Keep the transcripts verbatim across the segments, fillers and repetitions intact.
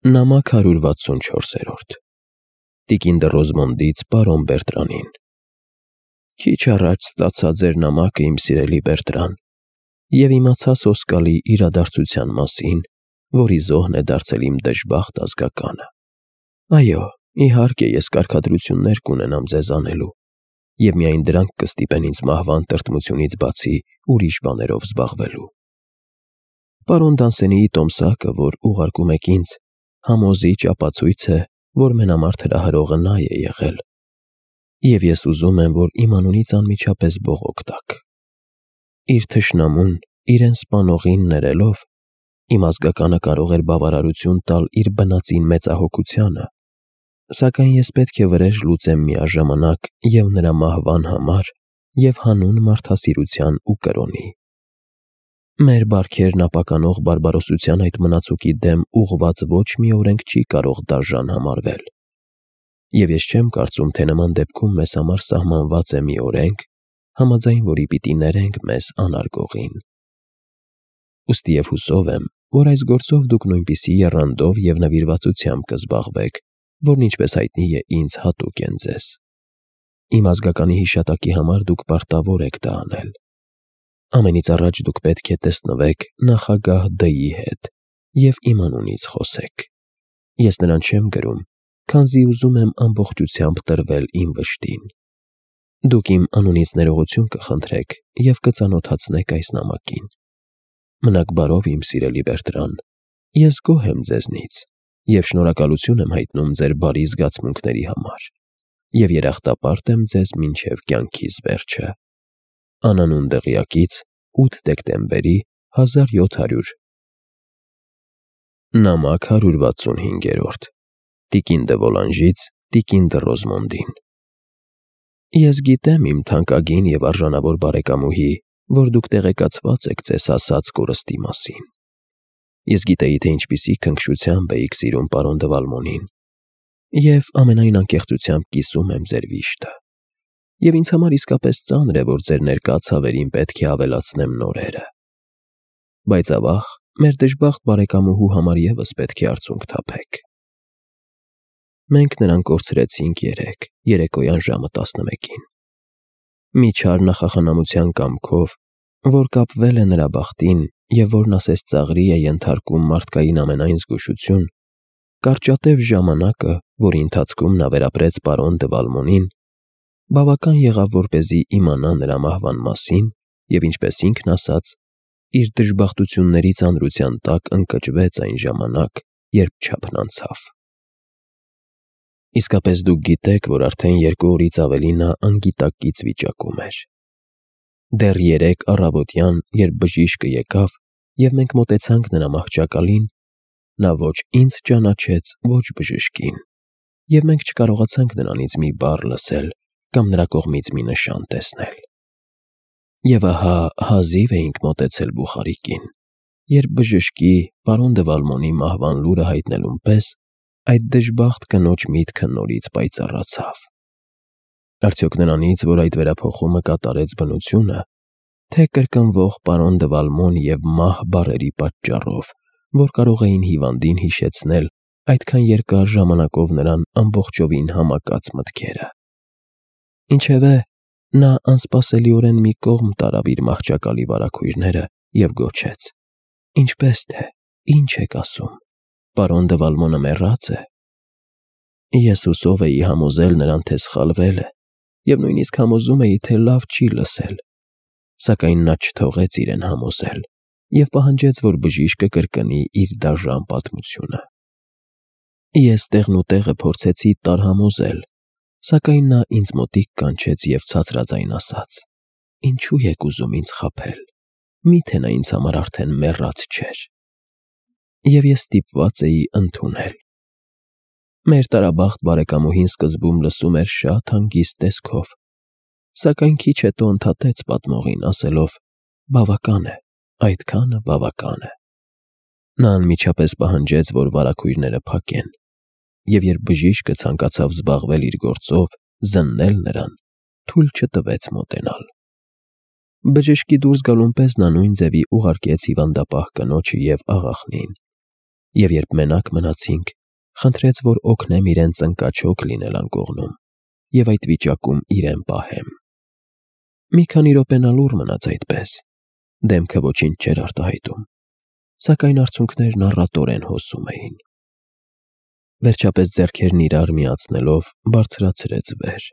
Նամակ հարյուր վաթսունչորս Տիկին դը Ռոզմոնդից պարոն Բերտրանին։ Քիչ առաջ ստացա ձեր նամակը, իմ սիրելի Բերտրան, և իմացա սոսկալի իրադարձության մասին, որի զոհն է դարձել իմ դժբախտ ազգականը։ Այո, իհարկե, ես կարգադրություններ կունենամ ձեզ անելու, և միայն դրանք կստիպեն ինձ մահվան տրտմությունից բացի ուրիշ բաներով զբաղվելու։ Պարոն Դանսենիի տոմսակը, որ ուղարկում եք ինձ, համոզիչ ապացույց է, որ մենամարտ հրահրողը նա է եղել, և ես ուզում եմ, որ իմ անունից անմիջապես բողոք տաք։ Իր թշնամուն իրեն սպանողին ներելով, իմ ազգականը կարող էր բավարարություն տալ իր բնածին մեծահոգությանը, սակայն ես պետք է վրեժ լուծեմ միաժամանակ և նրա մահվան համար, և հանուն մարդասիրության ու կրոնի։ Մեր բարքերն ապականող բարբարոսության այդ մնացուկի դեմ ուղղված ոչ մի օրենք չի կարող դաժան համարվել, և ես չեմ կարծում, թե նման դեպքում մեզ համար սահմանված է մի օրենք, համաձայն որի պիտի ներենք մեզ անարգողին։ Ուստի և հուսով եմ, որ այս գործով դուք նույնպիսի եռանդով և նվիրվածությամբ կզբաղվեք, որն ինչպես հայտնի է ինձ հատուկ են ձեզ։ Իմ ազգականի հիշատակի համար դուք պարտավոր եք դա անել։ Ամենից առաջ դուք պետք է տեսնվեք նախագահ Դ֊ի հետ և իմ անունից խոսեք։ Ես նրան չեմ գրում, քանզի ուզում եմ ամբողջությամբ տրվել իմ վշտին։ Դուք իմ անունից ներողություն կխնդրեք և կծանոթացնեք այս նամակին։ Մնաք բարով, իմ սիրելի Բերտրան, ես գոհ եմ ձեզնից և շնորհակալություն եմ հայտնում ձեր բարի զգացմունքների համար, և երախտապարտ եմ ձեզ մինչև կյանքիս վերջը։ Անանուն Դղյակից ութ դեկտեմբերի հազար յոթ հարյուր Նամակ հարյուր վաթսունհինգ Տիկին դը Վոլանժից տիկին դը Ռոզմոնդին։ Ես գիտեմ, իմ թանկագին և արժանավոր բարեկամուհի, որ դուք տեղեկացված եք ձեզ ասած կորստի մասին։ Ես գիտեի, թե ինչպիսի քնքշությամբ էիք սիրում պարոն դը Վալմոնին, և ամենայն անկեղծությամբ կիսում եմ ձեր վիշտը, և ինձ համար իսկապես ծանր է, որ ձեր ներկա ցավերին պետք է ավելացնեմ նորերը։ Բայց ավաղ, մեր դժբախտ բարեկամուհու համար ևս պետք է արցունք թափեք։ Մենք նրան կորցրեցինք երեկ, երեկոյան ժամը տասնմեկին։ Մի չար նախախնամության կամքով, որ կապվել է նրա բախտին և որն ասես ծաղրի է ենթարկում մարդկային ամենայն զգուշություն, կարճատև ժամանակը, որի ընթացքում նա վերապրեց պարոն դը Վալմոնին, բավական եղավ, որպեսզի իմանա նրա մահվան մասին և, ինչպես ինքն ասաց, իր դժբախտությունների ծանրության տակ ընկճվեց այն ժամանակ, երբ չափն անցավ։ Իսկապես դուք գիտեք, որ արդեն երկու օրից ավելի նա անգիտակից վիճակում էր։ Դեռ երեկ առավոտյան, երբ բժիշկը եկավ, և մենք մոտեցանք նրա մահճակալին, նա ոչ ինձ ճանաչեց, ոչ բժշկին, և մենք չկարողացանք նրանից մի բառ լսել կամ նրա կողմից մի նշան տեսնել։ Եվ ահա հազիվ էինք մոտեցել Բուխարիկին, երբ բժշկի, պարոն դը Վալմոնի մահվան լուրը հայտնելուն պես այդ դժբախտ կնոջ միտքը նորից պայծառացավ։ Արդյոք նրանից, որ այդ վերափոխումը կատարեց բնությունը, թե կրկնվող պարոն դը Վալմոն և մահ բառերի պատճառով, որ կարող էին հիվանդին հիշեցնել այդքան երկար ժամանակով նրան ամբողջովին համակած մտքերը։ Ինչևէ, նա անսպասելիորեն մի կողմ տարավ իր մահճակալի վարագույրները և գոչեց. «Ինչպե՞ս թե, ի՞նչ եք ասում, պարոն դը Վալմոնը մեռա՞ծ է»։ Ես հուսով էի համոզել նրան, թե սխալվել է, և նույնիսկ համոզում էի, թե լավ չի լսել, սակայն նա չթողեց իրեն համոզել և պահանջեց, որ բժիշկը կրկնի իր դաժան պատմությունը։ Ես տեղնուտեղը փորձեցի տարհամոզել, սակայն նա ինձ մոտիկ կանչեց և ցածրաձայն ասաց. «Ինչու եք ուզում ինձ խաբել, մի՞թե նա ինձ համար արդեն մեռած չէր»։ Եվ ես ստիպված էի ընդունել։ Մեր տարաբախտ բարեկամուհին սկզբում լսում էր շատ հանգիստ տեսքով, սակայն քիչ հետո ընդհատեց պատմողին, ասելով. «Բավական է, այդքանը բավական է»։ Նա անմիջապես պահանջեց, որ վարագույրները փակեն, և երբ բժիշկը ցանկացավ զբաղվել իր գործով, զննել նրան, թույլ չտվեց մոտենալ։ Բժշկի դուրս գալուն պես նա նույն ձևի ուղարկեց հիվանդապահ կնոջը և աղախնին, Եվ երբ մենակ մնացինք, խնդրեց, որ օգնեմ իրեն ծնկաչոք լինել անկողնում և այդ վիճակում իրեն պահեմ։ Մի քանի րոպե նա լուռ մնաց այդպես, դեմքը ոչինչ չէր արտահայտում, սակայն արցունքներն առատորեն հոսում էին։ Վերջապես ձեռքերն իրար միացնելով բարձրացրեց վեր,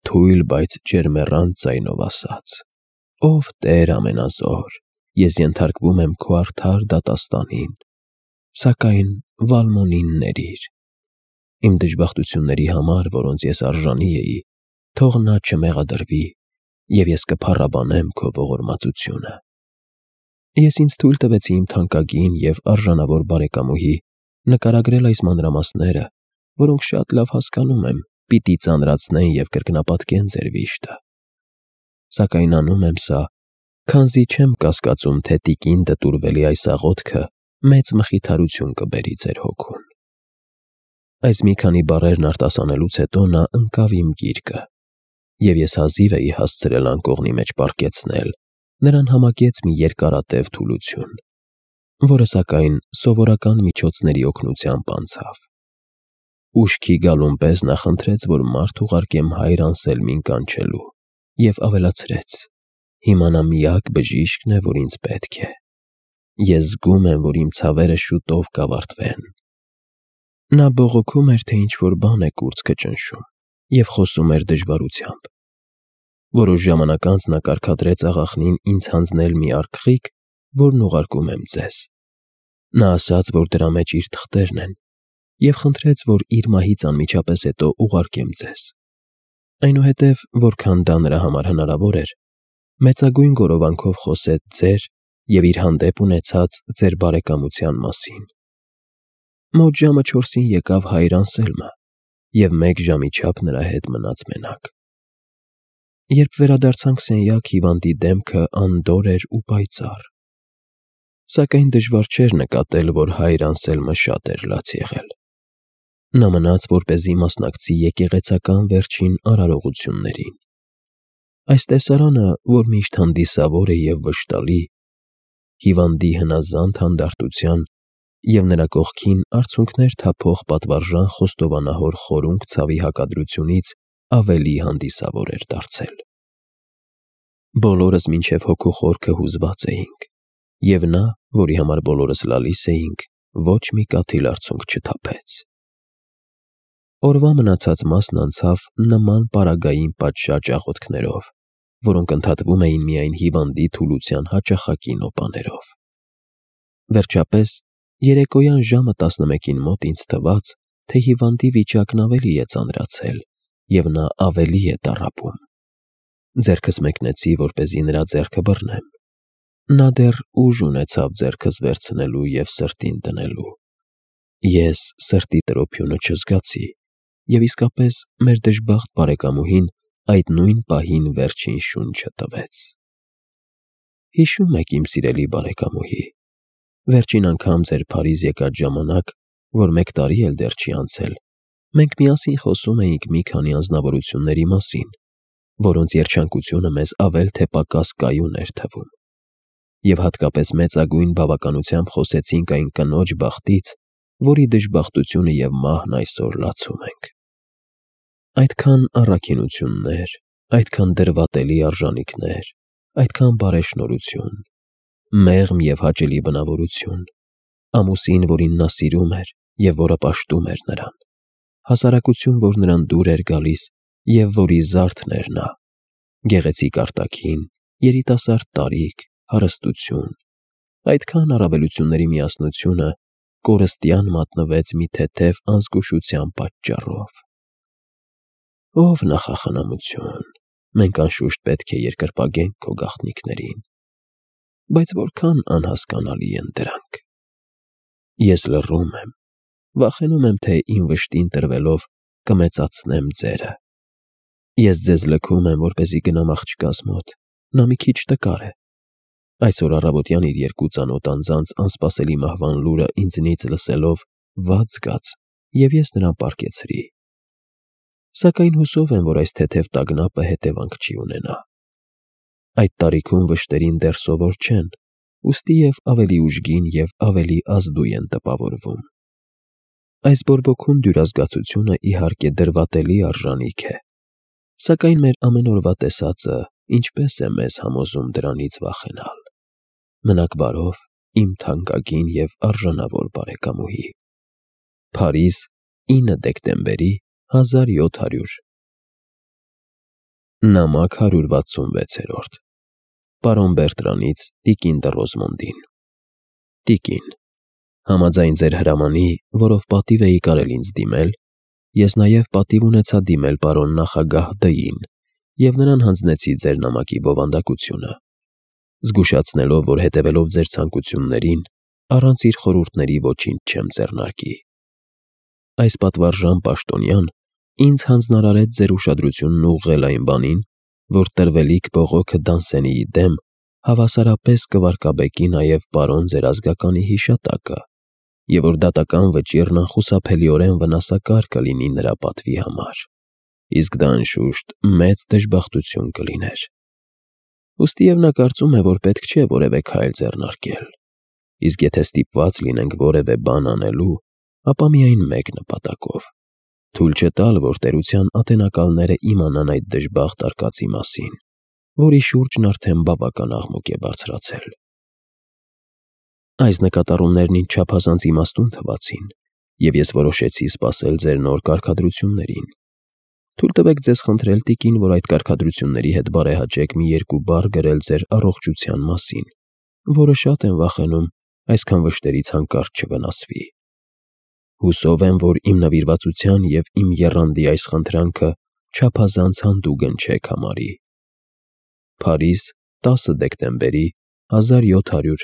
թույլ, բայց ջերմեռանդ ձայնով ասաց. «Ով Տեր ամենազոր, ես ենթարկվում եմ քո արդար դատաստանին, սակայն Վալմոնին ներիր։ Իմ դժբախտությունների համար, որոնց ես արժանի էի, թող նա չմեղադրվի, և ես կփառաբանեմ քո ողորմածությունը»։ Ես ինձ թույլ տվեցի իմ թանկագին և արժանավոր բարեկամուհի նկարագրել այս մանրամասները, որոնք շատ լավ հասկանում եմ, պիտի ծանրացնեն և կրկնապատկեն ձեր վիշտը։ Սակայն անում եմ սա, քանզի չեմ կասկածում, թե տիկին դտուրվելի այս աղոթքը մեծ մխիթարություն կբերի ձեր հոգուն։ Այս մի քանի բառերն արտասանելուց հետո նա ընկավ իմ գիրկը, և ես հազիվ էի հասցրել անկողնի մեջ պառկեցնել, նրան համակեց մի երկարատև թուլություն, որը սակայն սովորական միջոցների օգնությամբ անցավ։ Ուշքի գալուն պես նա խնդրեց, որ մարդ ուղարկեմ հայր Անսելմին կանչելու, և ավելացրեց. «Հիմա նա միակ բժիշկն է, որ ինձ պետք է։ Ես զգում եմ, որ իմ ցավերը շուտով կավարտվեն»։ Նա բողոքում էր, թե ինչ-որ բան է կուրծքը ճնշում, և խոսում էր դժվարությամբ։ Որոշ ժամանակ անց նա կարգադրեց աղախնին ինձ հանձնել մի արկղիկ, որն ուղարկում եմ ձեզ։ Նա ասաց, որ դրա մեջ իր թղթերն են, և խնդրեց, որ իր մահից անմիջապես հետո ուղարկեմ ձեզ։ Այնուհետև, որքան դա նրա համար հնարավոր էր, մեծագույն գորովանքով խոսեց ձեր և իր հանդեպ ունեցած ձեր բարեկամության մասին։ Մոտ ժամը չորսին եկավ հայր Անսելմը և մեկ ժամի չափ նրա հետ մնաց մենակ։ Երբ վերադարձանք սենյակ, հիվանդի դեմքը անդորր էր ու պայծառ, սակայն դժվար չէր նկատել, որ հայր Անսելմը շատ էր լաց եղել։ Նա մնաց, որպեսզի մասնակցի եկեղեցական վերջին արարողություններին։ Այս տեսարանը, որ միշտ հանդիսավոր է և վշտալի, հիվանդի հնազանդ հանդարտության և նրա կողքին արցունքներ թափող պատվարժան խոստովանահոր խորունկ ցավի հակադրությունից ավելի հանդիսավոր էր դարձել։ Բոլորս մինչև հոգու խորքը հուզված էինք, և նա, որի համար բոլորս լալիս էինք, ոչ մի կաթիլ արցունք չթափեց։ Օրվա մնացած մասն անցավ նման պարագային պատշաճ աղոթքներով, որոնք ընդհատվում էին միայն հիվանդի թուլության հաճախակի նոպաներով։ Վերջապես, երեկոյան ժամը տասնմեկին մոտ ինձ թվաց, թե հիվանդի վիճակն ավելի է ծանրացել, և նա ավելի է տառապում։ Ձեռքս մեկնեցի, որպեսզի նրա ձեռքը բռնեմ։ Նա դեռ ուժ ունեցավ ձեռքս վերցնելու և սրտին դնելու։ Ես սրտի տրոփյունը չզգացի, և իսկապես մեր դժբախտ բարեկամուհին այդ նույն պահին վերջին շունչը տվեց։ Հիշո՞ւմ եք, իմ սիրելի բարեկամուհի, վերջին անգամ ձեր Փարիզ եկած ժամանակ, որ մեկ տարի էլ դեռ չի անցել, մենք միասին խոսում էինք մի քանի անձնավորությունների մասին, որոնց երջանկությունը մեզ ավել թե պակաս կայուն էր թվում, և հատկապես մեծագույն բավականությամբ խոսեցինք այն կնոջ բախտից, որի դժբախտությունը և մահն այսօր լացում ենք։ Այդքան առաքինություններ, այդքան դրվատելի արժանիքներ, այդքան բարեշնորհություն, մեղմ և հաճելի բնավորություն, ամուսին, որին նա սիրում էր և որը պաշտում էր նրան, հասարակություն, որ նրան դուր էր գալիս և որի զարդն էր նա, գեղեցիկ արտաքին, երիտասարդ տարիք, հարստություն, այդքան առավելությունների միասնությունը կորստյան մատնվեց մի թեթև անզգուշության պատճառով։ Ով նախախնամություն, մենք անշուշտ պետք է երկրպագենք քո գաղտնիքներին, բայց որքան անհասկանալի են դրանք։ Ես լռում եմ, վախենում եմ, թե իմ վշտին տրվելով կմեծացնեմ ձերը։ Ես ձեզ լքում եմ, որպեսզի գնամ աղջկաս մոտ, նա մի քիչ տկար է։ Այսօր առավոտյան իր երկու ծանոթ անձանց անսպասելի մահվան լուրը ինձնից լսելով վատ զգաց, և ես նրան պառկեցրի։ Սակայն հուսով եմ, որ այս թեթև տագնապը հետևանք չի ունենա։ Այդ տարիքում վշտերին դեռ սովոր չեն, ուստի և ավելի ուժգին և ավելի ազդուի են տպավորվում։ Այս բորբոքուն դյուրազգացությունը իհարկե դրվատելի արժանիք է, սակայն մեր ամեն օրվա տեսածը ինչպե՞ս է մեզ համոզում դրանից վախենալ։ Մնաք բարով, իմ թանկագին և արժանավոր բարեկամուհի։ Փարիզ, ինը դեկտեմբերի հազար յոթ հարյուր։ Նամակ հարյուր վաթսունվեցերորդ Պարոն Բերտրանից տիկին դը Ռոզմոնդին։ Տիկին, համաձայն ձեր հրամանի, որով պատիվ էի կարել ինձ դիմել, ես նաև պատիվ ունեցա դիմել պարոն նախագահ Դ֊ին և նրան հանձնեցի ձեր նամակի բովանդակությունը, զգուշացնելով, որ հետևելով ձեր ցանկություններին, առանց իր խորհուրդների ոչինչ չեմ ձեռնարկի։ Այս պատվարժան պաշտոնյան ինձ հանձնարարեց ձեր ուշադրությունն ուղղել այն բանին, որ տրվելիք բողոքը Դանսենիի դեմ հավասարապես կվարկաբեկի նաև պարոն ձեր ազգականի հիշատակը, և որ դատական վճիռն անխուսափելիորեն վնասակար կլինի նրա պատվի համար, իսկ դա անշուշտ մեծ դժբախտություն կլիներ։ Ուստիև նա կարծում է, որ պետք չէ որևէ քայլ ձեռնարկել, իսկ եթե ստիպված լինենք որևէ բան անելու, ապա միայն մեկ նպատակով՝ թույլ չտալ, որ տերության ատենակալները իմանան այդ դժբախտ արկածի մասին, որի շուրջն արդեն բավական աղմուկ է բարձրացել։ Այս նկատառումներն ինձ չափազանց իմաստուն թվացին, և ես որոշեցի սպասել ձեր նոր կարգադրություններին։ Թույլ տվեք ձեզ խնդրել, տիկին, որ այդ կարգադրությունների հետ բարեհաճեք մի երկու բառ գրել ձեր առողջության մասին, որը շատ եմ վախենում այսքան վշտերից հանկարծ չվնասվի։ Հուսով եմ, որ իմ նվիրվածության և իմ եռանդի այս խնդրանքը չափազանց հանդուգն չեք համարի։ Փարիզ, տասը դեկտեմբերի հազար յոթ հարյուր